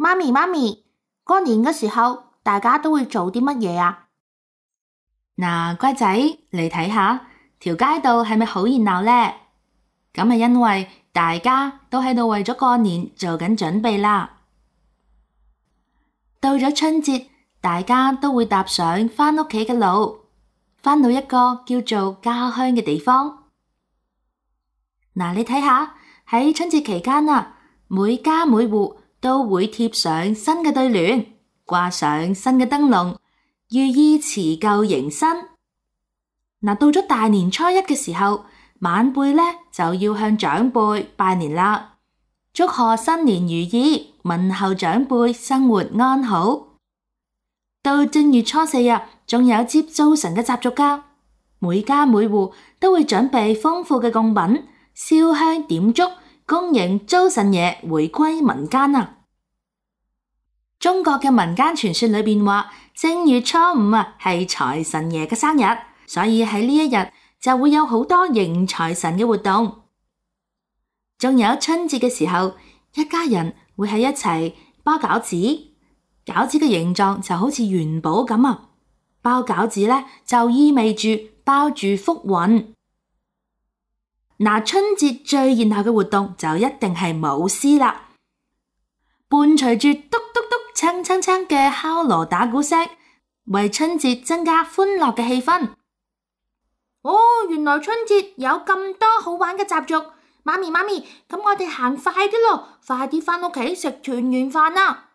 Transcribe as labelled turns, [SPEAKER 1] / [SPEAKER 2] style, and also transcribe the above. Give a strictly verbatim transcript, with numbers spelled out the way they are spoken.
[SPEAKER 1] 媽咪媽咪，過年嘅時候大家都會做啲乜嘢啊？
[SPEAKER 2] 嗱，乖仔，嚟睇下條街道係咪好熱鬧呢？咁係因為大家都喺度為咗過年做緊準備啦。到咗春節，大家都會踏上返屋企嘅路，返到一個叫做家鄉嘅地方。嗱，你睇下喺春節期間啊，每家每戶都會貼上新嘅對聯，掛上新嘅燈籠，寓意辭舊迎新。嗱，到咗大年初一嘅時候，晚輩呢就要向長輩拜年啦，祝賀新年如意，問候長輩生活安好。到正月初四啊，仲有接灶神嘅習俗噶，每家每戶都會準備豐富嘅貢品，燒香點燭，恭迎灶神爺回歸民間啊！中國嘅民間傳說裏邊話，正月初五啊係財神爺嘅生日，所以喺呢一日就會有好多迎財神嘅活動。仲有春節嘅時候，一家人會喺一齊包餃子，餃子嘅形狀就好似元寶咁啊！包餃子咧就意味住包住福運。嗱，春節最熱鬧嘅活動就一定係舞獅啦，伴隨住嘟嘟嘟、鏘鏘鏘嘅敲鑼打鼓聲，為春節增加歡樂嘅氣氛。
[SPEAKER 1] 哦，原來春節有咁多好玩嘅習俗。媽咪媽咪，咁我哋行快啲咯，快啲返屋企食團圓飯啦！